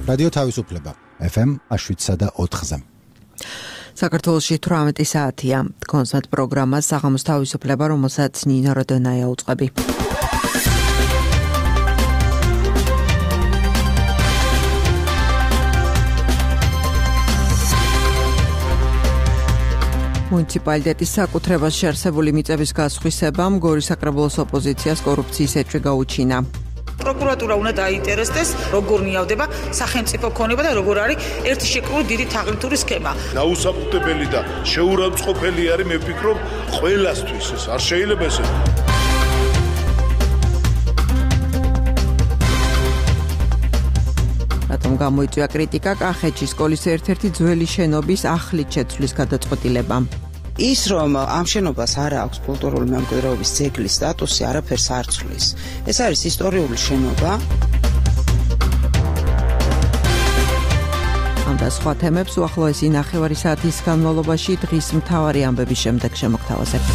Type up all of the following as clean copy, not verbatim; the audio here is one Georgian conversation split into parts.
რადიო თავისუფლება FM 7.4-ზე. საქართველოში 18 საათია. კონსერტ პროგრამა საღამოს თავისუფლება, რომელსაც ნინო როდონაია უწყები. მუნიციპალიტეტის საკუთრებას შეარსებული მიწების გასხვისებამ გორის საკრებულოს ოპოზიციას კორუფციის ეჭვი გაუჩინა. პროკურატურა უნდა დაინტერესდეს, როგორ ნიავდება სახელმწიფო ქონება და როგორ არის ერთი შეკრული დიდი თაღლითური სქემა. დაუსაფრთხებელი და შეურაცხყოფელი არის, მე ვფიქრობ, ყველასთვის ეს არ შეიძლება ესე. რატომ გამოიწვია კრიტიკა კახეთში სკოლის ერთ-ერთი ძველი შენობის ახლით შეცვლის გადაწყვეტილებამ? ის რომ ამ შენობას არ აქვს კულტურული მემკვიდრეობის ძეგლის სტატუსი, არაფერს არ ცვლის. ეს არის ისტორიული შენობა. ამ და სხვა თემებს უახლოესი ნახევარი საათის განმავლობაში დღის მთავარი ამბების შემდეგ შემოგთავაზებთ.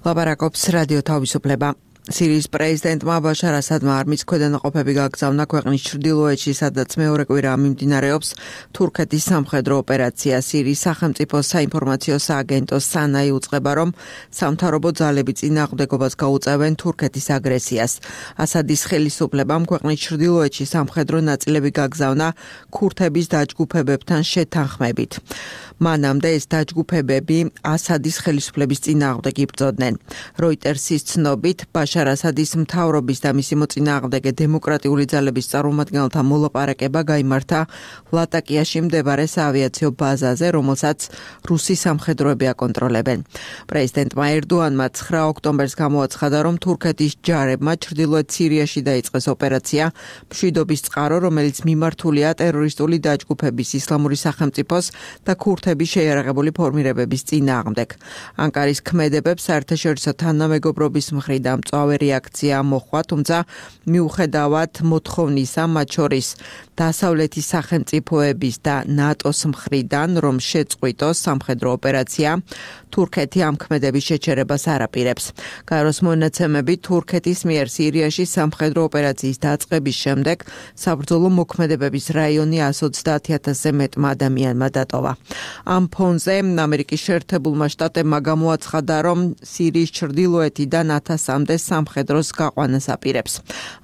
ლაბარაკობს რადიო თავისუფლება. სირიის პრეზიდენტმა ბაშარ ასადმა არმიის ქვედანაყოფები გაგზავნა ქვეყნის ჩრდილოეთში, სადაც მეორე კვირა მიმდინარეობს თურქეთის სამხედრო ოპერაცია. სირიის სახელმწიფო საინფორმაციო სააგენტო სანაი უწყება, რომ სამთავრობო ძალები წინააღმდეგობას გაუწევენ თურქეთის აგრესიას. ასადის ხელისუფლებამ ქვეყნის ჩრდილოეთში სამხედრო ნაწილები გაგზავნა ქურთების დაჯგუფებებთან შეთანხმებით. მანამდე ეს დაჯგუფებები ასადის ხელისუფლების წინააღმდეგ იბრძოდნენ. როიტერსის ცნობით ბაშარ ასადის მთავრობის და მისი მოწინააღმდეგე დემოკრატიული ძალების წარმომადგენელთა მოლაპარაკება გაიმართა ლატაკიაში მდებარე საავიაციო ბაზაზე, რომელსაც რუსი სამხედროები აკონტროლებენ. პრეზიდენტმა ერდოანმა 9 ოქტომბერს გამოაცხადა, რომ თურქეთის ჯარებმა ჩრდილოეთ სირიაში დაიწყეს ოპერაცია მშვიდობის წყარო, რომელიც მიმართულია ტერორისტული დაჯგუფების ისლამური სახელმწიფოს და ქურთების შეიარაღებული ფორმირებების წინააღმდეგ. ანკარის ქმედებებს საერთაშორისო თანამეგობრობის მხრიდან მწვავე რეაქცია მოჰყვა, თუმცა მიუხედავად მოთხოვნისა, მათ შორის დასავლეთის სახელმწიფოების და ნატოს მხრიდან, რომ შეწყვიტოს სამხედრო ოპერაცია, თურქეთი ამ ქმედების შეჩერებას არ აპირებს. გაეროს მონაცემებით, თურქეთის მიერ სირიაში სამხედრო ოპერაციის დაწყების შემდეგ საბრძოლო მოქმედებების რაიონი 130,000-ზე მეტმა ადამიანმა დატოვა. ამ ფონზე ამერიკის შეერთებულმა შტატებმა გამოაცხადა, რომ სირიის ჩრდილოეთიდან 1000-მდე სამხედროს გაყვანას აპირებს.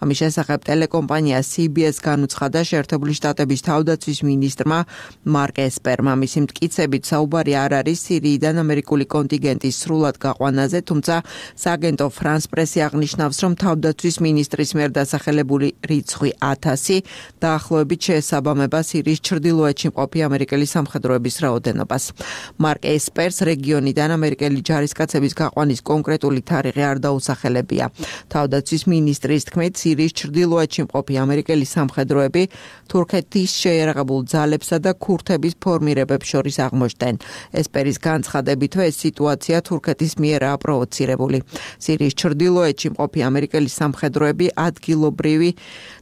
ამის შესახებ ტელეკომპანია CBS განუცხადა შეერთებული შტატების თავდაცვის მინისტრმა მარკ ესპერმა. მისი მტკიცებით საუბარი არ არის სირიიდან ამერიკული კონტინგენტის სრულად გაყვანაზე, თუმცა სააგენტო ფრანს პრესი აღნიშნავს, რომ თავდაცვის მინისტრის მიერ დასახელებული რიცხვი 1000 დაახლოებით შეესაბამება სირიის ჩრდილოეთში მყოფი ამერიკელი სამხედროების რაოდენობას. მარკ ესპერს რეგიონიდან ამერიკელი ჯარისკაცების გაყვანის კონკრეტული თარიღი არ დაუსახელებია. თავდაცვის მინისტრის თქმით, სირიის ჩრდილოეთში მყოფი ამერიკელი სამხედროები თურქეთის შეიარაღებულ ძალებსა და ქურთების ფორმირებებს შორის აღმოჩნდნენ. ესპერის განცხადებითვე ეს სიტუაცია თურქეთის მიერაა პროვოცირებული. სირიის ჩრდილოეთში მყოფი ამერიკელი სამხედროები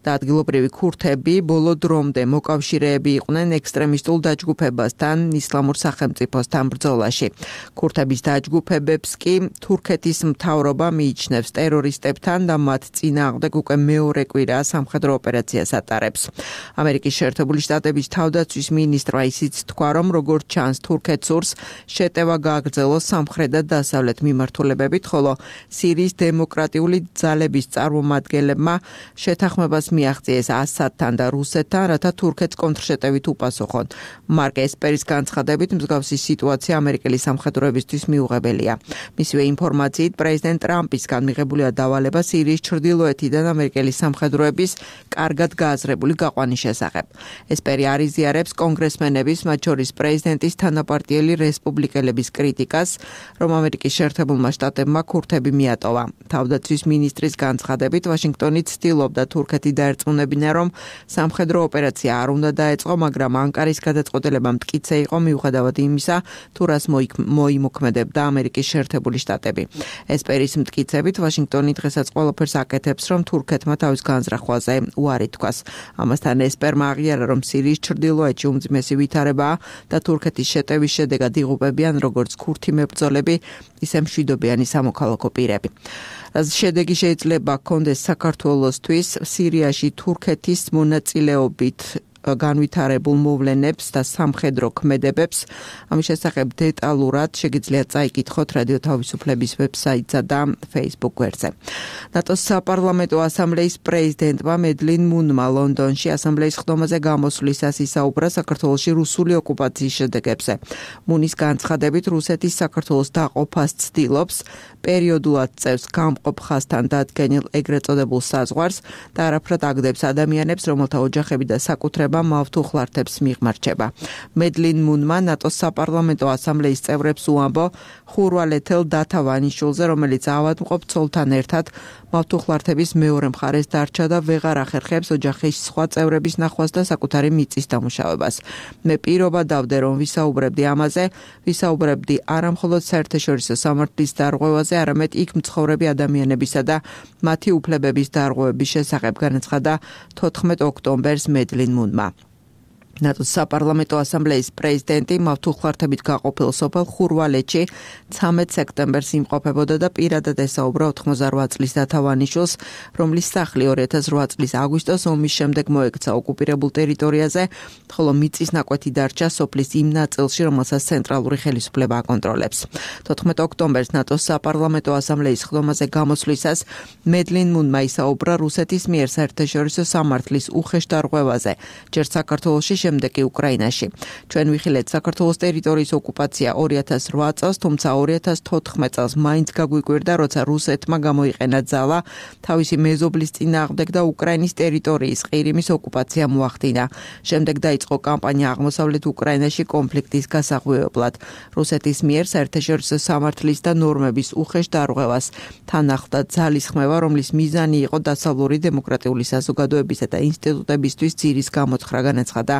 ადგილობრივი ქურთები ბოლო დრომდე მოკავშირეები იყვნენ ექსტრემისტულ დაჯგუფებასთან ისლამურ სახელმწიფოსთან ბრძოლაში. ქურთების დაჯგუფებებს კი თურქეთის მთავრობა მიიჩნევს ტერორისტებთან და მათ წინააღმდეგ უკვე მეორე კვირაა სამხედრო ოპერაციას ატარებს. ამერიკის შეერთებული შტატების თავდაცვის მინისტრმა ისიც თქვა, რომ როგორც ჩანს თურქეთს სურს შეტევა გააგრძელოს სამხრეთ და დასავლეთ მიმართულებებით, ხოლო სირიის დემოკრატიული ძალების წარმომადგენლებმა შეთანხმებას მიაღწიეს ასადთან და რუსეთთან, რათა თურქეთს კონტრშეტევით უპასუხონ. მარკ ესპერის განცხადებით, მსგავსი სიტუაცია ამერიკელი სამხედროებისთვის მიუღებელია. მისივე ინფორმაციით, პრეზიდენტ ტრამპისგან მიღებულია დავალება სირიის ჩრდილოეთიდან ამერიკელი სამხედროების კარგად გააზრებული გაყვანის შესახებ. ესპერი არ იზიარებს კონგრესმენების, მათ შორის პრეზიდენტის თანაპარტიელი რესპუბლიკელების კრიტიკას, რომ ამერიკის შეერთებულმა შტატებმა ქურთები მიატოვა. თავდაცვის მინისტრის განცხადებით, ვაშინგტონი ცდილობდა თურქეთი დაერწმუნებინა, რომ სამხედრო ოპერაცია არ უნდა დაეწყო, მაგრამ ანკარის გადაწყვეტილება მტკიცე იყო მიუხედავად იმისა, თუ რას მოიმოქმედებდა ამერიკის შეერთებული შტატები. ესპერის მტკიცებით, ვაშინგტონი ვაშინგტონი დღესაც ყველაფერს აკეთებს, რომ თურქეთმა თავის განზრახვაზე უარი თქვას. ამასთან ესპერმა აღიარა, რომ სირიის ჩრდილოეთში უმძიმესი ვითარებაა და თურქეთის შეტევის შედეგად იღუპებიან როგორც ქურთი მებრძოლები, ისე მშვიდობიანი სამოქალაქო პირები. შედეგი შეიძლება ჰქონდეს საქართველოსთვის სირიაში თურქეთის მონაწილეობით განვითარებულ მოვლენებს და სამხედრო ქმედებებს. ამის შესახებ დეტალურად შეგიძლიათ წაიკითხოთ რადიო თავისუფლების ვებსაიტსა და Facebook გვერდზე. ნატოს საპარლამენტო ასამბლეის პრეზიდენტმა მედლინ მუნმა ლონდონში ასამბლეის ხდომაზე გამოსვლისას ისაუბრა საქართველოში რუსული ოკუპაციის შედეგებზე. მუნის განცხადებით რუსეთის საქართველოს დაყოფას ცდილობს, პერიოდულად წევს გამყოფ ხაზთან დადგენილ ეგრეთ წოდებულ საზღვარს და არაფრად აგდებს ადამიანებს, რომელთა ოჯახები და საკუთრება მავთუხლართებს მიღმარჩება. მედლინ მუნმა ნატოს საპარლამენტო ასამბლეის წევრებს უამბო ხურვალეთელ დათავანიშვილზე, რომელიც ავადმყოფ ცოლთან ერთად მავთუხლართების მეორე მხარეს დარჩა და ვეღარ ახერხებს ოჯახის სხვა წევრების ნახვას და საკუთარი მიწის დამუშავებას. მე პირობა დავდე, რომ ვისაუბრებდი ამაზე, ვისაუბრებდი არა მხოლოდ საერთაშორისო სამართლის დარღვევაზე, არამედ იქ მცხოვრები ადამიანებისა და მათი უფლებების დარღვევების შესახებ, განაცხადა 14 ოქტომბერს მედლინ მუნმა. ნატოს საპარლამენტო ასამბლეის პრეზიდენტი მავთუხლართებით გაყოფილ სოფელ ხურვალეთში 13 სექტემბერს იმყოფებოდა და პირადად ესაუბრა 88 წლის დათავანიშვილს, რომლის სახლი 2008 წლის აგვისტოს ომის შემდეგ მოექცა ოკუპირებულ ტერიტორიაზე, ხოლო მიწის ნაკვეთი დარჩა სოფლის იმ ნაწილში, რომელსაც ცენტრალური ხელისუფლება აკონტროლებს. 14 ოქტომბერს ნატოს საპარლამენტო ასამბლეის ხდომაზე გამოსვლისას მედლინ მუნმა ისაუბრა რუსეთის მიერ საერთაშორისო სამართლის უხეშ დარღვევაზე, ჯერ საქართველოში, შემდეგ კი უკრაინაში. ჩვენ ვიხილეთ საქართველოს ტერიტორიის ოკუპაცია 2008 წელს, თუმცა 2014 წელს მაინც გაგვიკვირდა, როცა რუსეთმა გამოიყენა ძალა თავისი მეზობლის წინააღმდეგ და უკრაინის ტერიტორიის ყირიმის ოკუპაცია მოახდინა. შემდეგ დაიწყო კამპანია აღმოსავლეთ უკრაინაში კონფლიქტის გასაღვივებლად. რუსეთის მიერ საერთაშორისო სამართლის და ნორმების უხეშ დარღვევას თან ახლდა ძალის ხმევა, რომლის მიზანი იყო დასავლური დემოკრატიული საზოგადოებისა და ინსტიტუტებისთვის ძირის გამოთხრა, განაცხადა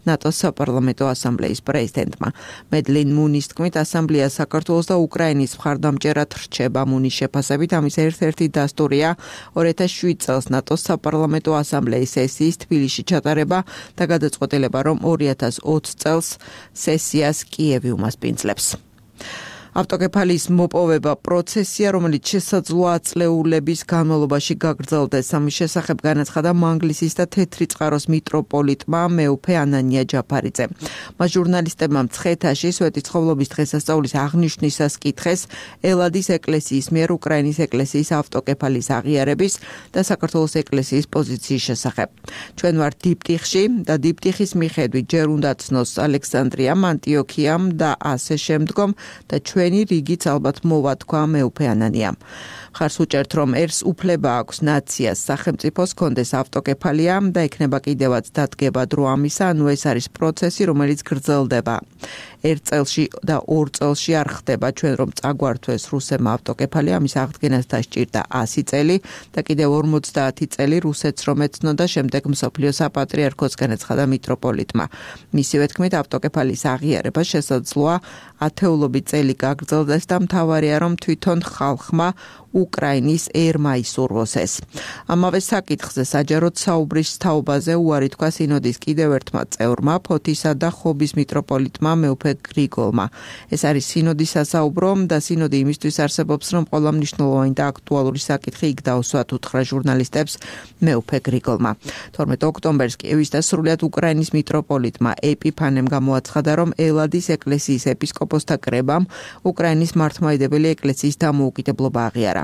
ნატოს საპარლამენტო ასამბლეის პრეზიდენტმა. მედლინ მუნის თქმით, ასამბლეა საქართველოს და უკრაინის მხარდამჭერად რჩება. მუნის შეფასებით ამის ერთ-ერთი დასტურია 2007 წელს ნატოს საპარლამენტო ასამბლეის სესიის თბილისში ჩატარება და გადაწყვეტილება, რომ 2020 წელს სესიას კიევი უმასპინძლებს. ავტოკეფალიის მოპოვება პროცესია, რომელიც შესაძლოა აწლეულების განმავლობაში გაგრძელდეს. ამის შესახებ განაცხადა მანგლისის და თეთრი წყაროს მიტროპოლიტმა მეუფე ანანია ჯაფარიძე. მას ჟურნალისტებმა მცხეთაში სვეტიცხოვლობის დღესასწაულის აღნიშვნისას კითხეს ელადის ეკლესიის მიერ უკრაინის ეკლესიის ავტოკეფალიის აღიარების და საქართველოს ეკლესიის პოზიციის შესახებ. ჩვენ ვართ დიპტიხში და დიპტიხის მიხედვით ჯერ უნდა ცნოს ალექსანდრიამ, ანტიოქიამ და ასე შემდგომ და ჩვენი რიგიც ალბათ მოვა, თქვა მეუფე ანანიამ. ხარს უჭერთ, რომ ერს უფლება აქვს ნაციას სახელმწიფოს კონდეს ავტოკეფალია და ექნება კიდევაც დადგება დრო ამისა, ანუ ეს არის პროცესი, რომელიც გრძელდება. ერთ წელში და ორ წელში არ ხდება, ჩვენ რომ წაგვართვეს რუსებმა ავტოკეფალია, ამის აღდგენას დასჭირდა 100 წელი და კიდევ 50 წელი რუსეთს რომ ეცნოდა, შემდეგ მსოფლიო საპატრიარქოს, განაცხადა მიტროპოლიტმა. მისივე თქმით, ავტოკეფალიის აღიარება შესაძლოა ათეულობით წელი გაგრძელდეს და მთავარია, რომ თვითონ ხალხმა უკრაინის ერმა ისურვოს ეს. ამავე საკითხზე საჯაროდ საუბრის თაობაზე უარი თქვა სინოდის კიდევ ერთმა წევრმა, ფოთისა და ხობის მიტროპოლიტმა მეუფე გრიგოლმა. ეს არის სინოდის სასაუბრო და სინოდი იმისთვის არსებობს, რომ ყველა მნიშვნელოვანი და აქტუალური საკითხი იქ დაუსვათ, უთხრა ჟურნალისტებს მეუფე გრიგოლმა. 12 ოქტომბერს კიევის და სრულიად უკრაინის მიტროპოლიტმა ეპიფანემ გამოაცხადა, რომ ელადის ეკლესიის ეპისკოპოსთა კრებამ უკრაინის მართლმადიდებელი ეკლესიის დამოუკიდებლობა აღიარა.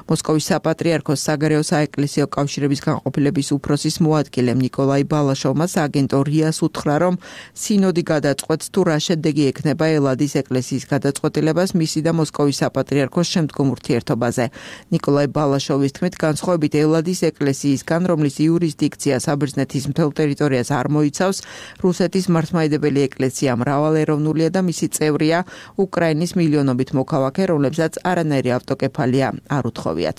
მოსკოვის საპატრიარქოს საგარეო საეკლესიო კავშირების განყოფილების უფროსის მოადგილემ ნიკოლაი ბალაშოვმა სააგენტო რიას უთხრა, რომ სინოდი გადაწყვეტს თუ რა შედეგი ექნება ელადის ეკლესიის გადაწყვეტილებას მისი და მოსკოვის საპატრიარქოს შემდგომ ურთიერთობაზე. ნიკოლაი ბალაშოვის თქმით, განსხვავებით ელადის ეკლესიისგან, რომლის იურისდიქცია საბერძნეთის მთელ ტერიტორიას არ მოიცავს, რუსეთის მართლმადიდებელი ეკლესია მრავალეროვნულია და მისი წევრია უკრაინის მილიონობით მოქალაქე, რომლებსაც არანაირი ავტოკეფალია არ უთხოვიათ.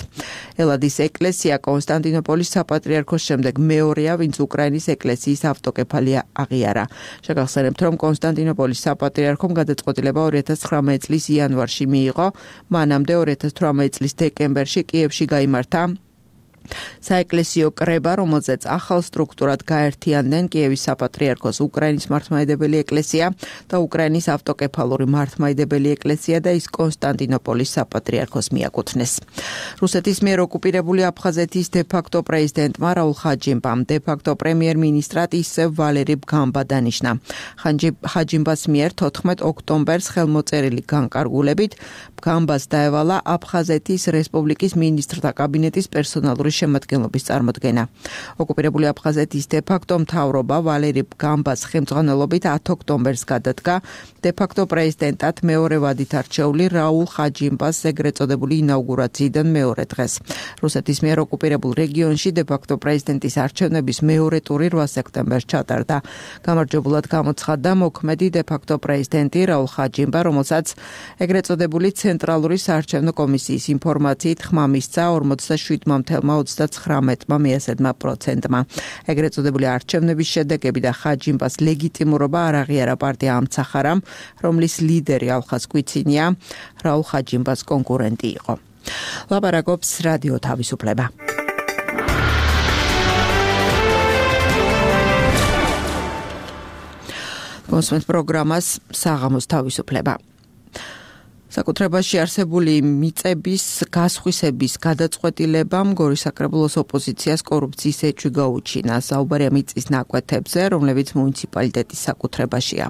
ელადის ეკლესია კონსტანტინოპოლის საპატრიარქოს შემდეგ მეორეა, ვინც უკრაინის ეკლესიის ავტოკეფალია აღიარა. შეგახსენებთ, რომ კონსტანტინოპოლის საპატრიარქომ გადაწყვეტილება 2019 წლის იანვარში მიიღო, მანამდე 2018 წლის დეკემბერში კიევში გაიმართა საეკლესიო კრება, რომელზეც ახალ სტრუქტურად გაერთიანდნენ კიევის საპატრიარქოს უკრაინის მართლმადიდებელი ეკლესია და უკრაინის ავტოკეფალური მართლმადიდებელი ეკლესია და ის კონსტანტინოპოლის საპატრიარქოს მიაკუთვნეს. რუსეთის მიერ ოკუპირებული აფხაზეთის დე-ფაქტო პრეზიდენტმა რაულ ხაჯიმბამ დე-ფაქტო პრემიერ-მინისტრად ისევ ვალერი ბგამბა დანიშნა. ხაჯიმბას მიერ 14 ოქტომბერს ხელმოწერილი განკარგულებით ბგამბას დაევალა აფხაზეთის რესპუბლიკის მინისტრთა კაბინეტის პერსონალური შემადგენლობის წარმოდგენა. ოკუპირებული აფხაზეთის დე-ფაქტო მთავრობა ვალერი ბგამბას ხელმძღვანელობით 10 ოქტომბერს გადადგა დე-ფაქტო პრეზიდენტად მეორე ვადით არჩეული რაულ ხაჯიმბას ეგრეთ წოდებული ინაუგურაციიდან მეორე დღეს. რუსეთის მიერ ოკუპირებულ რეგიონში დე-ფაქტო პრეზიდენტის არჩევნების მეორე ტური 8 სექტემბერს ჩატარდა. გამარჯვებულად გამოცხადდა მოქმედი დე-ფაქტო პრეზიდენტი რაულ ხაჯიმბა, რომელსაც ეგრეთ წოდებული ცენტრალური საარჩევნო კომისიის ინფორმაციით ხმა მისცა 47,39%-მა. ეგრეთ წოდებული არჩევნების შედეგები და ხაჯიმბას ლეგიტიმურობა არ აღიარა პარტია ამცახარამ, რომლის ლიდერი ალხას კვიცინია რაულ ხაჯიმბას კონკურენტი იყო. ლაპარაკობს რადიო თავისუფლება. კონსუმენტ პროგრამას საღამოს თავისუფლება. საკუთრებაში არსებული მიწების გასხვისების გადაწყვეტილებამ გორის საკრებულოს ოპოზიციას კორუფციის ეჭვი გაუჩინა. საუბარია მიწის ნაკვეთებზე, რომლებიც მუნიციპალიტეტის საკუთრებაშია.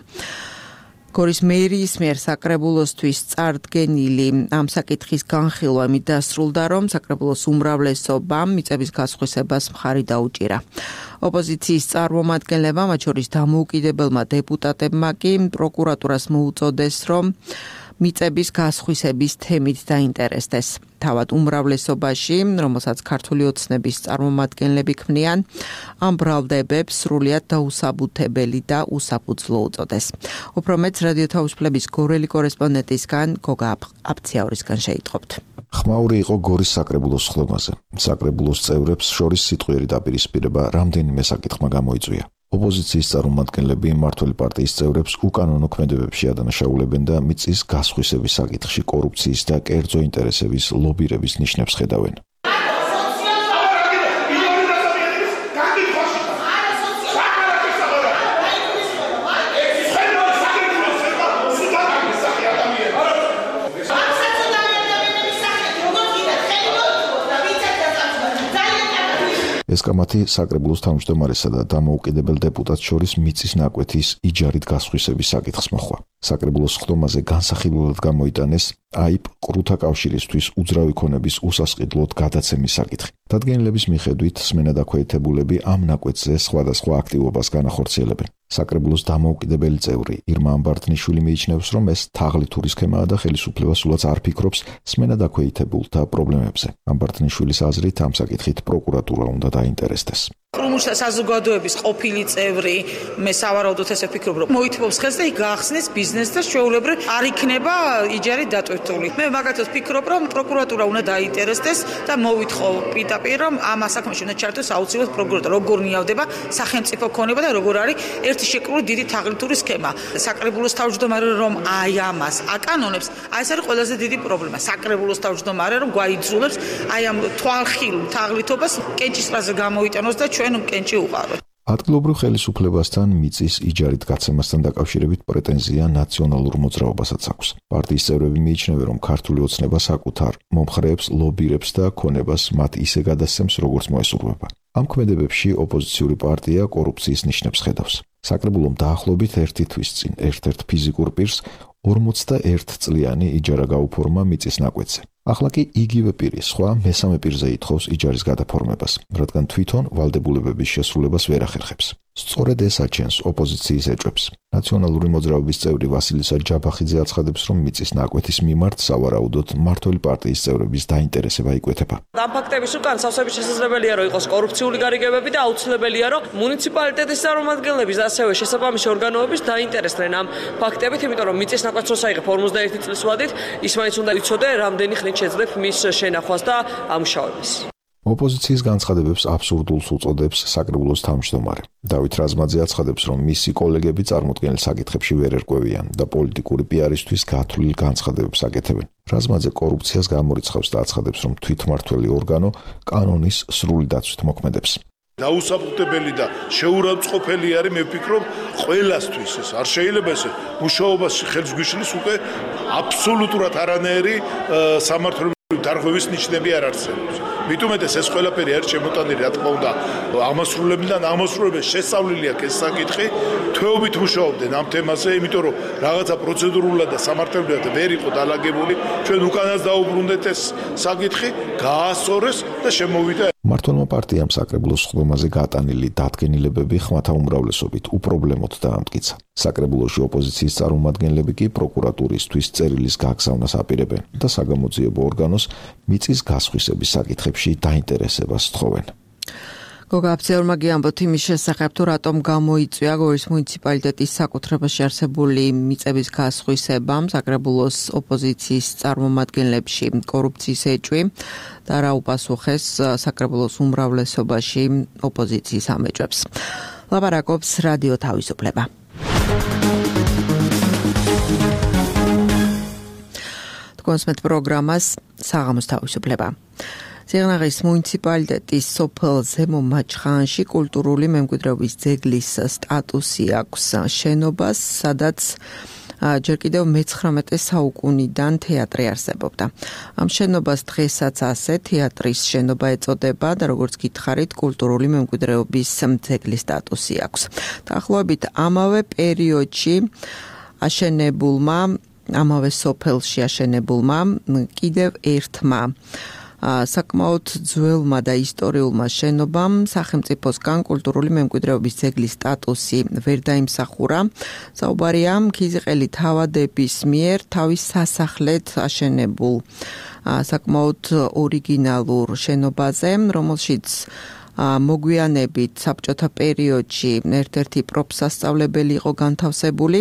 გორის მერიის მიერ საკრებულოსთვის წარდგენილი ამ საკითხის განხილვა იმით დასრულდა, რომ საკრებულოს უმრავლესობამ მიწების გასხვისებას მხარი დაუჭირა. ოპოზიციის წარმომადგენლებმა, მათ შორის დამოუკიდებელმა დეპუტატებმა კი პროკურატურას მოუწოდეს, რომ მიწების გასხვისების თემით დაინტერესდეს. თავად უმრავლესობაში, რომელსაც ქართული ოცნების წარმომადგენლები ქმნიან, ამ ბრალდებებს სრულიად დაუსაბუთებელი და უსაფუძვლო უწოდეს. უფრო მეტს რადიო თავისუფლების გორელი კორესპონდენტისგან გოგა აფციაურისგან შეიტყობთ. ხმაური იყო გორის საკრებულოს ხლომაზე. საკრებულოს წევრებს შორის სიტყვიერი დაპირისპირება რამდენიმე საკითხმა გამოიწვია. ოპოზიციის წარმომადგენლები მმართველი პარტიის წევრებს უკანონო ქმედებებში ადანაშაულებენ და მიწის გასხვისების საკითხში კორუფციის და კერძო ინტერესების ლობირების ნიშნებს ხედავენ. ეს კამათი საკრებულოს თავმჯდომარესა და დამოუკიდებელ დეპუტატს შორის მიწის ნაკვეთის იჯარით გასხვისების საკითხს მოხვა. საკრებულოს ხდომაზე განსახილველად გამოიტანეს აიპ ყრუთა კავშირისთვის უძრავი ქონების უსასყიდლოდ გადაცემის საკითხი. დადგენილების მიხედვით სმენადაქვეითებულები ამ ნაკვეთზე სხვადასხვა აქტივობას განახორციელებენ. საკრებულოს დამოუკიდებელი წევრი ირმა ამბართნიშვილი მიიჩნევს, რომ ეს თაღლითური სქემაა და ხელისუფლება სულაც არ ფიქრობს სმენადაქვეითებულთა პრობლემებზე. ამბართნიშვილის აზრით ამ საკითხით პროკურატურა უნდა დაინტერესდეს. კრუმუშთა საზოგადოების ყოფილი წევრი, მე სავარაუდოდ ესე ვფიქრობ, რომ მოითხოვს ხელს და გახსნის ბიზნესს და შეუულებრივ არ იქნება იჯარი დატვირთული. მე მაგათაც ვფიქრობ, რომ პროკურატურა უნდა დაინტერესდეს და მოვითხოვ პირდაპირ, რომ ამ საქმეში უნდა ჩართოს აუცილებლად პროკურატურა, როგორ ნიავდება სახელმწიფო ქონება და როგორ არის ერთი შეკრული დიდი თაღლითური სქემა. საკრებულოს თავმჯდომარე რომ აი ამას აკანონებს, აი ეს არის ყველაზე დიდი პრობლემა. საკრებულოს თავმჯდომარე რომ გვაიძულებს აი ამ თვალხილულ თაღლითობას კენჭისყრაზე გამოიტანოს და ჩვენ კენჭი უყაროთ. ადგილობრივ ხელისუფლებასთან მიწის იჯარით გაცემასთან დაკავშირებით პრეტენზია ნაციონალურ მოძრაობასაც აქვს. პარტიის წევრები მიიჩნევენ, რომ ქართული ოცნება საკუთარ მომხრეებს, ლობირებს და ქონებას მათ ისე გადასცემს, როგორც მოესურვება. ამ ქმედებებში ოპოზიციური პარტია კორუფციის ნიშნებს ხედავს. საკრებულომ დაახლოებით ერთი თვის წინ ერთ-ერთ ფიზიკურ პირს 41 წლიანი იჯარა გაუფორმა მიწის ნაკვეთზე. ახლა კი იგივე პირი სხვა მესამე პირზე ითხოვს იჯარის გადაფორმებას, რადგან თვითონ ვალდებულებების შესრულებას ვერ ახერხებს. სწორედ ეს აჩენს ოპოზიციის ეჭვებს. ნაციონალური მოძრაობის წევრი ვასილისა ჯაბახიძე აცხადებს, რომ მიწის ნაკვეთის მიმართ სავარაუდოდ მმართველი პარტიის წევრების დაინტერესება იკვეთება. ამ ფაქტების უკან სავსებით შესაძლებელია, რომ იყოს კორუფციული გარიგებები და აუცილებელია, რომ მუნიციპალიტეტის წარმომადგენლების და ასევე შესაბამისი ორგანოების დაინტერესდნენ ამ ფაქტებით, იმიტომ რომ მიწის ნაკვეთს როცა იღებ 51 წლის ვადით, ის მაინც უნდა იცოდე, რამდენი ხნით შეძლებ მის შენახვას და ამუშავებას. ოპოზიციის განცხადებებს აბსურდულს უწოდებს საკრებულოს თავმჯდომარე. დავით რაზმაძე აცხადებს, რომ მისი კოლეგები წარმოქმნილ საკითხებში ვერ ერკვევიან და პოლიტიკური პიარისთვის გათვლილ განცხადებებს აკეთებენ. რაზმაძე კორუფციას გამორიცხავს და აცხადებს, რომ თვითმმართველი ორგანო კანონის სრული დაცვით მოქმედებს. დაუსაფრთხებელი და შეურაცხყოფელი არის, მე ვფიქრობ, ყველასთვის ეს არ შეიძლება ესე მუშაობაში ხელს გვიშლის უკვე აბსოლუტურად არანაირი სამართლებრივი დარღვევის ნიშნები არ არსებობს. მით უმეტეს ეს ყველაფერი არის შემოტანილი, რა თქმა უნდა, ამასრულებიდან ამასრულებს შესწავლილი აქვს ეს საკითხი, თვეობით მუშაობდნენ ამ თემაზე, იმიტომ რომ რაღაცა პროცედურულად და სამართლებრივად ვერ იყო დალაგებული, ჩვენ უკანაც დაუბრუნდეთ ეს საკითხი, გაასწორეს და შემოვიდა. მმართველმა პარტიამ საკრებულოს სხდომაზე გატანილი დადგენილებები ხმათა უმრავლესობით უპრობლემოდ დაამტკიცა. საკრებულოში ოპოზიციის წარმომადგენლები კი პროკურატურისთვის წერილის გაგზავნას აპირებენ და საგამოძიებო ორგანოს მიწის გასხვისების საკითხებში დაინტერესებას თხოვენ. გოგა აბძეურმა გიამბოთ იმის შესახებ, თუ რატომ გამოიწვია გორის მუნიციპალიტეტის საკუთრებაში არსებული მიწების გასხვისებამ საკრებულოს ოპოზიციის წარმომადგენლებში კორუფციის ეჭვი და რა უპასუხეს საკრებულოს უმრავლესობაში ოპოზიციის ამ ეჭვებს. ლაპარაკობს რადიო თავისუფლება. კონსმეთ პროგრამას საღამოს თავისუფლება. სიღნაღის მუნიციპალიტეტის სოფელ ზემო მაჩხანში კულტურული მემკვიდრეობის ძეგლის სტატუსი აქვს შენობას, სადაც ჯერ კიდევ მე-19 საუკუნიდან თეატრი არსებობდა. ამ შენობას დღესაც ასე თეატრის შენობა ეწოდება და როგორც გითხარით, კულტურული მემკვიდრეობის ძეგლის სტატუსი აქვს. დაახლოებით ამავე პერიოდში აშენებულმა, ამავე სოფელში აშენებულმა კიდევ ერთმა საკმაოდ ძველმა და ისტორიულმა შენობამ სახელმწიფოსგან კულტურული მემკვიდრეობის ძეგლის სტატუსი ვერ დაიმსახურა. საუბარია ქიზიყელი თავადების მიერ თავის სასახლედ აშენებულ საკმაოდ ორიგინალურ შენობაზე, რომელშიც მოგვიანებით საბჭოთა პერიოდში ერთ-ერთი პროფსასწავლებელი იყო განთავსებული,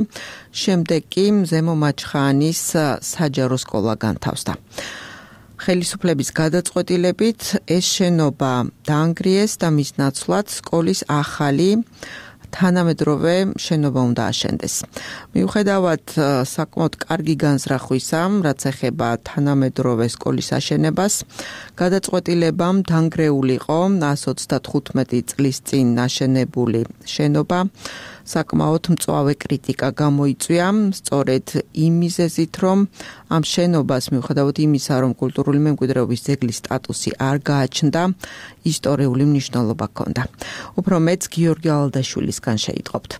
შემდეგ კი ზემო მაჩხანის საჯარო სკოლა განთავსდა. ხელისუფლების გადაწყვეტილებით ეს შენობა დაანგრიეს და მის ნაცვლად სკოლის ახალი თანამედროვე შენობა უნდა აშენდეს. მიუხედავად საკმაოდ კარგი განზრახვისა, რაც ეხება თანამედროვე სკოლის აშენებას, გადაწყვეტილებამ დანგრეული იყო 135 წლის წინ აშენებული შენობა. საკმაოდ მწვავე კრიტიკა გამოიწვია, სწორედ იმ მიზეზით, რომ ამ შენობას მიუხედავად იმისა, რომ კულტურული მემკვიდრეობის ძეგლის სტატუსი არ გააჩნდა, ისტორიული მნიშვნელობა ჰქონდა. უფრო მეც გიორგი ალდაშვილისგან შეიტყობთ.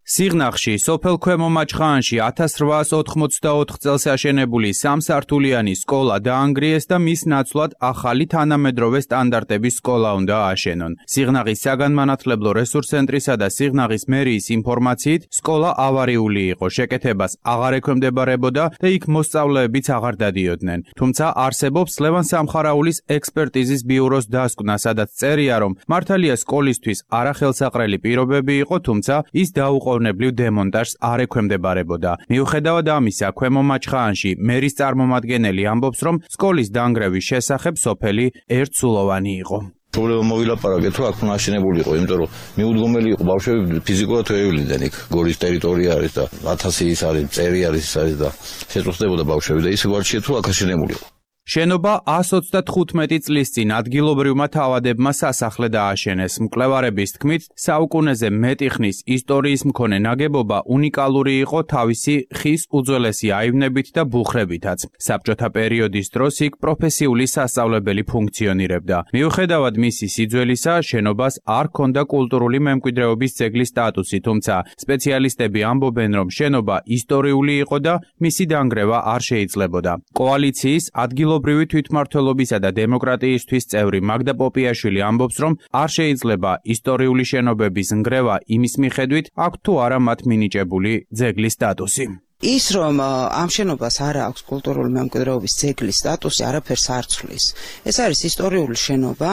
სიღნაღში, სოფელ ქვემო მაჩხანში 1884 წელს აშენებული სამსართულიანი სკოლა დაანგრიეს და მის ნაცვლად ახალი თანამედროვე სტანდარტების სკოლა უნდა ააშენონ. სიღნაღის საგანმანათლებლო რესურს ცენტრისა და სიღნაღის მერიის ინფორმაციით, სკოლა ავარიული იყო, შეკეთებას აღარ ექვემდებარებოდა და იქ მოსწავლეებიც აღარ დადიოდნენ. თუმცა არსებობს ლევან სამხარაულის ექსპერტიზის ბიუროს დასკვნა, სადაც წერია, რომ მართალია სკოლისთვის არახელსაყრელი პირობები იყო, თუმცა ის დაუყოვნებლივ დემონტაჟს არ ექვემდებარებოდა. მიუხედავად ამისა, ქვემო მაჩხანში მერის წარმომადგენელი ამბობს, რომ სკოლის დანგრევის შესახებ სოფელი ერთსულოვანი იყო. პრობლემა მოვილაპარაკეთ, თუ აქ უნდა აშენებულიყო, იმიტომ რომ მიუდგომელი იყო ბავშვები ფიზიკურად ვეულიდნენ იქ. გორის ტერიტორია არის და 1000 ის არის, წერი არის და შეწუხდებოდა ბავშვები და ისე გვარჩიეთ, თუ აქ აშენებულიყო. შენობა 135 წლის წინ ადგილობრივმა თავადებმა სასახლე დააშენეს. მკვლევარების თქმით, საუკუნეზე მეტი ხნის ისტორიის მქონე ნაგებობა უნიკალური იყო თავისი ხის უძველესი აივნებით და ბუხრებითაც. საბჭოთა პერიოდის დროს იქ პროფესიული სასწავლებელი ფუნქციონირებდა. მიუხედავად მისი სიძველისა, შენობას არ ჰქონდა კულტურული მემკვიდრეობის ძეგლის სტატუსი, თუმცა სპეციალისტები ამბობენ, რომ შენობა ისტორიული იყო და მისი დანგრევა არ შეიძლებოდა. კოალიციის ადგილობრივი ადგილობრივი თვითმმართველობისა და დემოკრატიისთვის წევრი მაგდა პოპიაშვილი ამბობს, რომ არ შეიძლება ისტორიული შენობების ნგრევა იმის მიხედვით, აქვს თუ არა მათ მინიჭებული ძეგლის სტატუსი. ის რომ ამ შენობას არ აქვს კულტურული მემკვიდრეობის ძეგლის სტატუსი არაფერს არ ცვლის. ეს არის ისტორიული შენობა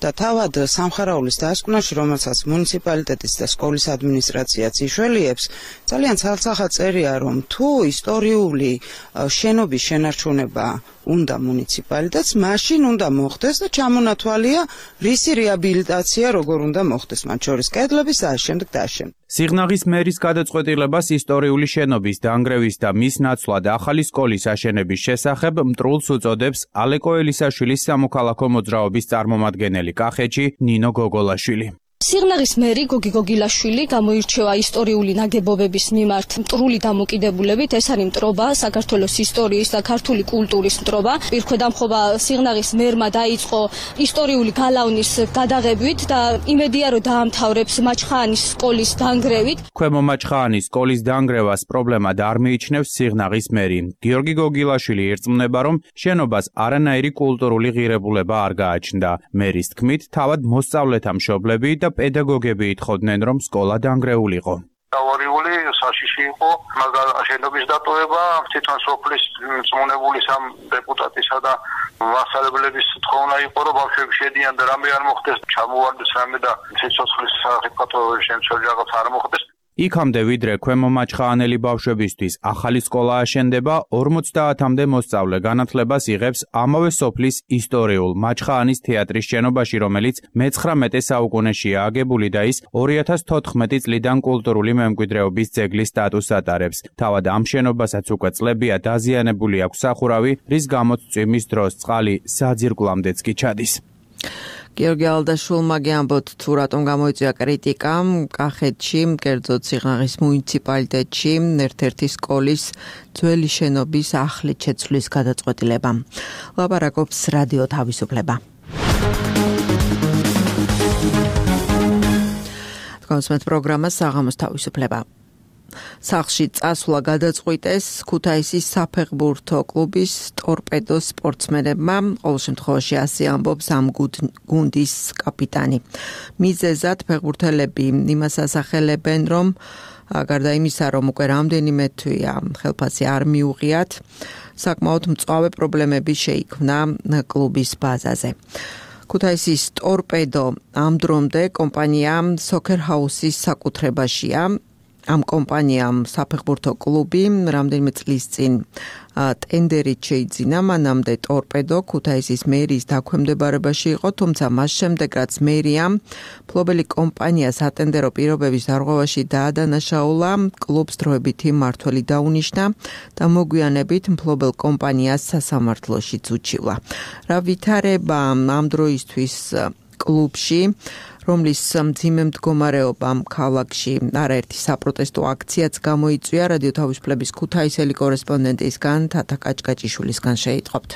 და თავად სამხარაულის დასკვნაში, რომელსაც მუნიციპალიტეტის და სკოლის ადმინისტრაციაც იშველიებს, ძალიან ცალცახად წერია, რომ თუ ისტორიული შენობის შენარჩუნება უნდა მუნიციპალიტეტს, მაშინ უნდა მოხდეს და ჩამონათვალია რისი რეაბილიტაცია როგორ უნდა მოხდეს, მათ შორის კედლების და შემდეგ და შემდეგ. სიღნაღის მერის გადაწყვეტილებას ისტორიული შენობის დანგრევის და მის ნაცვლად ახალი სკოლის აშენების შესახებ მტრულს უწოდებს ალეკო ელისაშვილის სამოქალაქო მოძრაობის წარმომადგენელი კახეთში ნინო გოგოლაშვილი. სიღნაღის მერი გოგი გოგილაშვილი გამოირჩევა ისტორიული ნაგებობების მიმართ მტრული დამოკიდებულებით. ეს არის მტრობა, საქართველოს ისტორიის და ქართული კულტურის მტრობა. პირქვედამხობა სიღნაღის მერმა დაიწყო ისტორიული გალავნის გადაღებით და იმედია, რომ დაამთავრებს მაჩხაანის სკოლის დანგრევით. ქვემო მაჩხაანის სკოლის დანგრევას პრობლემად არ მიიჩნევს სიღნაღის მერი. გიორგი გოგილაშვილი ერწმუნება, რომ შენობას არანაირი კულტურული ღირებულება არ გააჩნდა. მერის თქმით, თავად მოსწავლეთა მშობლები და პედაგოგები ითხოვდნენ, რომ სკოლა დანგრეულიყო. ავარიული საშიში იყო შენობის დატოვება, თვითონ სოფლის მწმუნებული სამ დეპუტატისა და მასწავლებლების თხოვნა იყო, რომ ბავშვები შედიან და რამე არ მოხდეს, ჩამოვარდეს რამე და სიცოცხლის საფრთხო შემცველი რაღაც არ მოხდეს. იქამდე ვიდრე ქვემო მაჩხაანელი ბავშვებისთვის ახალი სკოლა აშენდება, 50-მდე მოსწავლე განათლებას იღებს ამავე სოფლის ისტორიულ მაჩხაანის თეატრის შენობაში, რომელიც მე-19 საუკუნეშია აგებული და ის 2014 წლიდან კულტურული მემკვიდრეობის ძეგლის სტატუსს ატარებს. თავად ამ შენობასაც უკვე წლებია დაზიანებული აქვს სახურავი, რის გამოც წვიმის დროს წყალი საძირკვლამდეც კი ჩადის. გიორგი ალდაშვილმა გიამბოთ თუ რატომ გამოიწვია კრიტიკა კახეთში, კერძოდ სიღნაღის მუნიციპალიტეტში ერთ-ერთი სკოლის ძველი შენობის ახლით შეცვლის გადაწყვეტილება. ლაპარაკობს რადიო თავისუფლება. კონსმეთ პროგრამა საღამოს თავისუფლება. სახლში წასვლა გადაწყვიტეს ქუთაისის საფეხბურთო კლუბის ტორპედოს სპორტსმენებმა, ყოველ შემთხვევაში ასე ამბობს ამ გუნდის კაპიტანი. მიზეზად ფეხბურთელები იმას ასახელებენ, რომ გარდა იმისა, რომ უკვე რამდენიმე თვეა ხელფასი არ მიუღიათ, საკმაოდ მწვავე პრობლემები შეიქმნა კლუბის ბაზაზე. ქუთაისის ტორპედო ამ დრომდე კომპანია Soccer House-ის საკუთრებაშია. ამ კომპანიამ საფეხბურთო კლუბი რამდენიმე წლის წინ ტენდერით შეიძინა, მანამდე ტორპედო ქუთაისის მერის დაქვემდებარებაში იყო, თუმცა მას შემდეგ რაც მერიამ მფლობელი კომპანია სატენდერო პირობების დარღვევაში დაადანაშაულა, კლუბს დროებითი მმართველი დაუნიშნა და მოგვიანებით მფლობელ კომპანიას სასამართლოშიც უჩივლა. რა ვითარება ამ დროისთვის კლუბში, რომლის მძიმე მდგომარეობამ ქალაქში არაერთი საპროტესტო აქციაც გამოიწვია, რადიო თავისუფლების ქუთაისელი კორესპონდენტისგან თათა კაჭკაჭიშვილისგან შეიტყობთ.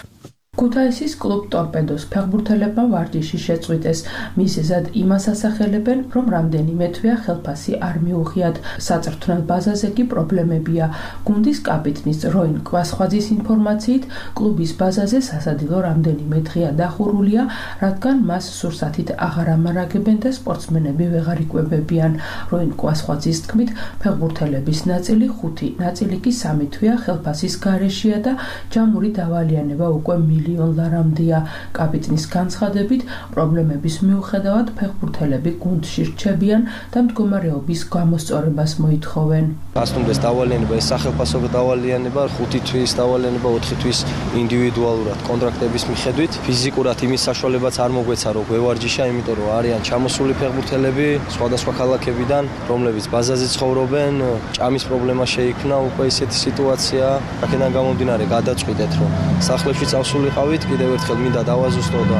ქუთაისის კლუბ ტორპედოს ფეხბურთელებმა ვარჯიში შეწყვიტეს. მიზეზად იმას ასახელებენ, რომ რამდენიმე თვეა ხელფასი არ მიუღიათ. საწრთვნელ ბაზაზე კი პრობლემებია. გუნდის კაპიტნის როინ კვასხვაძის ინფორმაციით, კლუბის ბაზაზე სასადილო რამდენიმე დღეა დახურულია, რადგან მას სურსათით აღარ ამარაგებენ და სპორტსმენები ვეღარ იკვებებიან. როინ კვასხვაძის თქმით, ფეხბურთელების ნაწილი 5, ნაწილი კი 3 თვეა ხელფასის გარეშეა და ჯამური დავალიანება უკვე მილიონ ლარამდეა. კაპიტნის განცხადებით, პრობლემების მიუხედავად ფეხბურთელები გუნდში რჩებიან და მდგომარეობის გამოსწორებას მოითხოვენ. გასტუმდეს დავალიანება, ეს სახელფასო დავალიანება, 5 თვის დავალიანება, 4 თვის ინდივიდუალურად კონტრაქტების მიხედვით. ფიზიკურად იმის საშუალებაც არ მოგვეცა, რომ გვევარჯიშა, იმიტომ რომ არიან ჩამოსული ფეხბურთელები სხვადასხვა ქალაქებიდან, რომლებიც ბაზაზე ცხოვრობენ, ჭამის პრობლემა შეიქმნა, უკვე ისეთი სიტუაცია. აქედან გამომდინარე გადაწყვიტეთ, რომ სახლებში წავსულიყავით, კიდევ ერთხელ მინდა დავაზუსტო და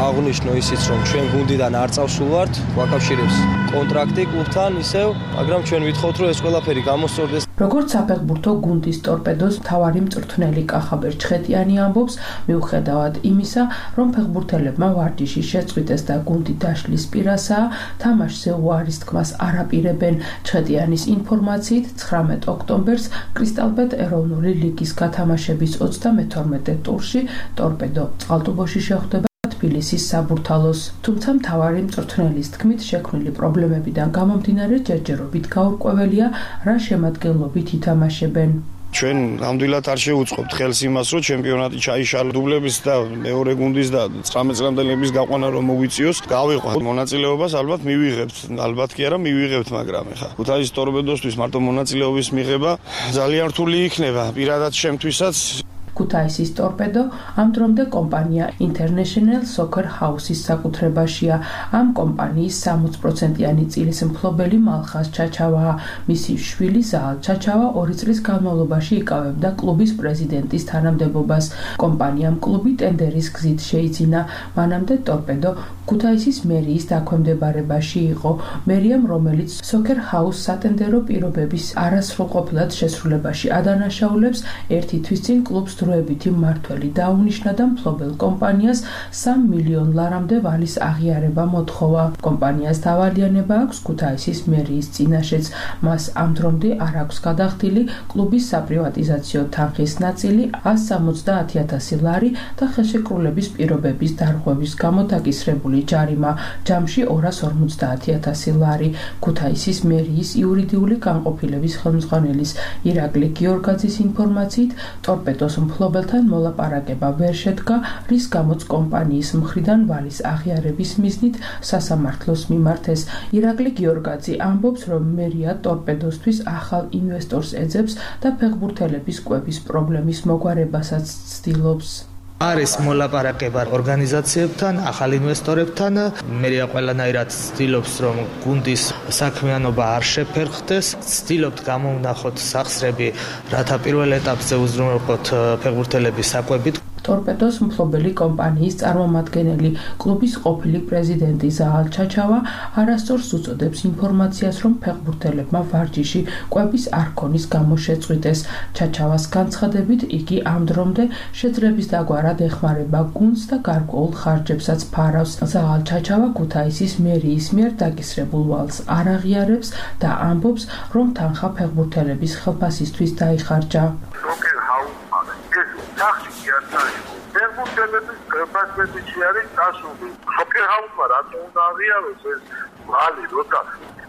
აღვნიშნო ისიც, რომ ჩვენ გუნდიდან არ წავსულ ვართ, ვაკავშირებს კონტრაქტი კლუბთან ისევ, მაგრამ ჩვენ ვითხოვთ, რომ ეს ყველაფერი გამოსწორდეს. როგორც საფეხბურთო გუნდის ტორპედოს მთავარი მწვრთნელი კახაბერ ჩხეტიანი ამბობს, მიუხედავად იმისა, რომ ფეხბურთელებმა ვარჯიში შეწყვიტეს და გუნდი დაშლის პირასაა, თამაშზე უარის თქმას არ აპირებენ. ჩხეტიანის ინფორმაციით 19 ოქტომბერს კრისტალბეტ ეროვნული ლიგის გათამაშების 32 ტურში ტორპედო წყალტუბოში შეხვდება თბილისის საბურთალოს. თუმცა მთავარი მწვრთნელის თქმით, შექმნილი პრობლემებიდან გამომდინარე ჯერჯერობით გაურკვეველია, რა შემადგენლობით ითამაშებენ. ჩვენ ნამდვილად არ შევუწყობთ ხელს იმას, რომ ჩემპიონატი ჩაიშალა დუბლების და მეორე გუნდის და 19 წლამდელების გაყვანა რომ მოვიწიოს, გავიყვანთ მონაწილეობას, ალბათ მივიღებთ, ალბათ კი არა მივიღებთ, მაგრამ ეხა ქუთაისის ტორპედოსთვის მარტო მონაწილეობის მიღება ძალიან რთული იქნება, პირადად შემთვისაც. ქუთაისის ტორპედო ამ დრომდე კომპანია International Soccer House-ის საკუთრებაშია. ამ კომპანიის 60%-იანი წილის მფლობელი მალხაზ ჩაჩავაა. მისი შვილი ზაალ ჩაჩავა 2 წლის განმავლობაში იკავებდა კლუბის პრეზიდენტის თანამდებობას. კომპანიამ კლუბი ტენდერის გზით შეიძინა. მანამდე ტორპედო ქუთაისის მერიის დაქვემდებარებაში იყო. მერიამ, რომელიც Soccer House სატენდერო პირობების არასრულყოფილად შესრულებაში ადანაშაულებს, ერთი თვის წინ კლუბს დროებითი მმართველი დაუნიშნა და მფლობელ კომპანიას 3 მილიონ ლარამდე ვალის აღიარება მოთხოვა. კომპანიას დავალიანება აქვს ქუთაისის მერიის წინაშეც. მას ამ დრომდე არ აქვს გადახდილი კლუბის საპრივატიზაციო თანხის ნაწილი 170,000 ლარი და ხელშეკრულების პირობების დარღვევის გამო დაკისრებული ჯარიმა ჯამში 250,000 ლარი. ქუთაისის მერიის იურიდიული განყოფილების ხელმძღვანელის ირაკლი გიორგაძის ინფორმაციით, ტორპედოს მფლობელთან მოლაპარაკება ვერ შედგა, რის გამოც კომპანიის მხრიდან ვალის აღიარების მიზნით სასამართლოს მიმართეს. ირაკლი გიორგაძე ამბობს, რომ მერია ტორპედოსთვის ახალ ინვესტორს ეძებს და ფეხბურთელების კვების პრობლემის მოგვარებასაც ცდილობს. არის მოლაპარაკება ორგანიზაციებთან, ახალ ინვესტორებთან. მერია ყველანაირად ცდილობს, რომ გუნდის საქმიანობა არ შეფერხდეს. ცდილობთ გამოვნახოთ სახსრები, რათა პირველ ეტაპზე უზრუნველყოთ ფეხბურთელების საკვებით. ტორპედოს მფლობელი კომპანიის წარმომადგენელი კლუბის ყოფილი პრეზიდენტი ზაალ ჩაჩავა არასწორს უწოდებს ინფორმაციას, რომ ფეხბურთელებმა ვარჯიში კვების არ ქონის გამო შეწყვიტეს. ჩაჩავას განცხადებით, იგი ამ დრომდე შეძლების დაგვარად ეხმარება გუნდს და გარკვეულ ხარჯებსაც ფარავს. ზაალ ჩაჩავა ქუთაისის მერიის მიერ დაკისრებულ ვალს არ აღიარებს და ამბობს, რომ თანხა ფეხბურთელების ხელფასისთვის დაიხარჯა. ფეხბურთელების ხელფასებიში არის წასული. Soccer House-მა რატო უნდა აღიაროს ეს ვალი, როცა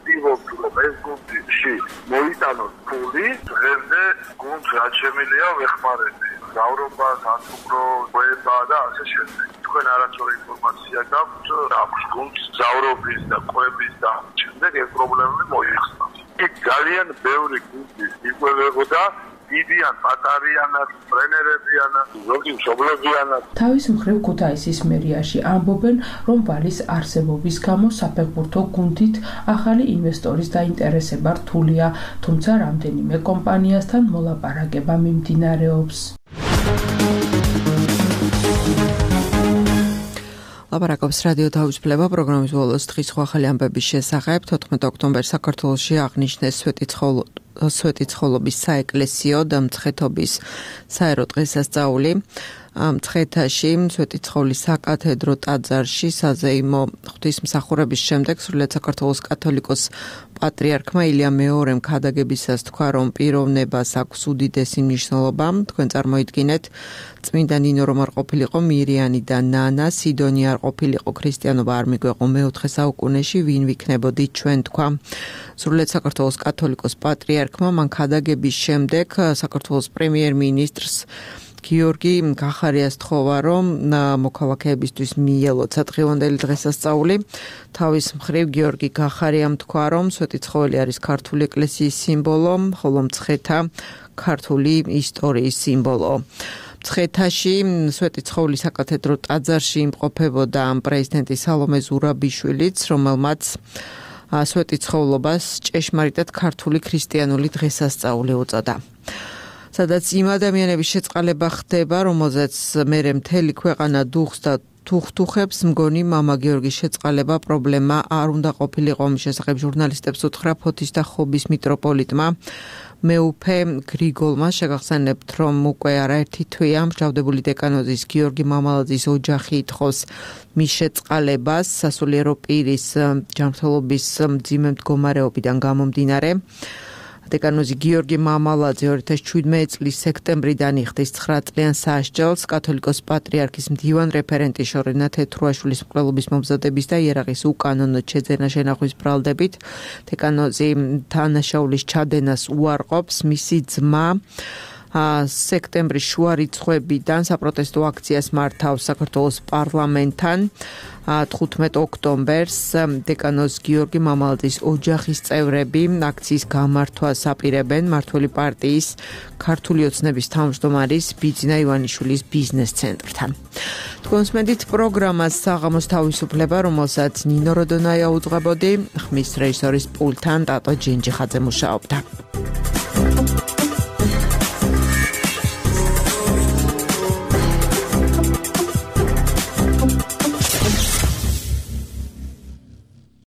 ვიღებთ, რომ ეს გუნდში მოიტანოს ფული, დღემდე გუნდს რაც შემიძლია ვეხმარები. მგზავრობა, სასტუმრო, კვება და ასე შემდეგ. თქვენ არასწორი ინფორმაცია გაქვთ, აქვს გუნდს მგზავრობის და კვების და შემდეგ ეს პრობლემები მოიხსნა. იქ ძალიან ბევრი გუნდი იკვებებოდა დიდიან პატარიანად, ტრენერებიანად, ზოგი მშობლებიანად. თავის მხრივ ქუთაისის მერიაში ამბობენ, რომ ვალის არსებობის გამო საფეხბურთო გუნდით ახალი ინვესტორის დაინტერესება რთულია, თუმცა რამდენიმე კომპანიასთან მოლაპარაკება მიმდინარეობს. ლაპარაკობს რადიო თავისუფლება პროგრამის ბოლოს დღის ახალი ამბების შესახებ. 14 ოქტომბერს საქართველოში აღნიშნეს სვეტიცხოვლობის საეკლესიო და მცხეთობის საერო დღესასწაული. მცხეთაში სვეტიცხოვლის საკათედრო ტაძარში საზეიმო ღვთისმსახურების შემდეგ სრულიად საქართველოს კათოლიკოს პატრიარქმა ილია მეორემ ქადაგებისას თქვა, რომ პიროვნებას აქვს უდიდესი მნიშვნელობა. თქვენ წარმოიდგინეთ, წმინდა ნინო რომ არ ყოფილიყო მირიანი და ნანა, სიდონი არ ყოფილიყო, ქრისტიანობა არ მიგვეყო მე-4 საუკუნეში, ვინ ვიქნებოდით ჩვენ, თქვა. სრულიად საქართველოს კათოლიკოს პატრიარქმა მან ქადაგების შემდეგ საქართველოს პრემიერ-მინისტრს გიორგი გახარიას თხოვა, რომ მოქალაქეებისთვის მიელოცა დღევანდელი დღესასწაული. თავის მხრივ გიორგი გახარიამ თქვა, რომ სვეტიცხოველი არის ქართული ეკლესიის სიმბოლო, ხოლო მცხეთა ქართული ისტორიის სიმბოლო. მცხეთაში სვეტიცხოვლის საკათედრო ტაძარში იმყოფებოდა პრეზიდენტი სალომე ზურაბიშვილიც, რომელმაც სვეტიცხოვლობას ჭეშმარიტად ქართული ქრისტიანული დღესასწაული უწოდა. სადაც იმ ადამიანების შეწყალება ხდება, რომელზეც მერე მთელი ქვეყანა დუხს და თუხთუხებს, მგონი მამა გიორგის შეწყალება პრობლემა არ უნდა ყოფილიყო. მის შესახებ ჟურნალისტებს უთხრა ფოთის და ხობის მიტროპოლიტმა. მეუფე გრიგოლმა შეგახსენებთ, რომ უკვე არაერთი თვეა მსჯავრდებული დეკანოზის გიორგი მამალაძის ოჯახი ითხოვს მის შეწყალებას სასულიერო პირის ჯანმრთელობის მძიმე მდგომარეობიდან გამომდინარე. დეკანოზი გიორგი მამალაძე 2017 წლის სექტემბრიდან იხდის 9 წლიან სასჯელს კათოლიკოს პატრიარქის მდივან რეფერენტი შორენა თეთრუაშვილის მკვლელობის მომზადების და იერაღის უკანონოდ შეძენა შენახვის ბრალდებით. დეკანოზი თანაშაულის ჩადენას უარყოფს. მისი ძმა სექტემბრის შუა რიცხვებიდან საპროტესტო აქციას მართავს საქართველოს პარლამენტთან. 15 ოქტომბერს დეკანოზ გიორგი მამალაძის ოჯახის წევრები აქციის გამართვას აპირებენ მმართველი პარტიის ქართული ოცნების თავმჯდომარის ბიძინა ივანიშვილის ბიზნეს ცენტრთან. თქვენსმენდით პროგრამას საღამოს თავისუფლება, რომელსაც ნინო როდონაია უძღვებოდი, ხმის რეჟისორის პულტთან ტატო ჯინჯიხაძე მუშაობდა.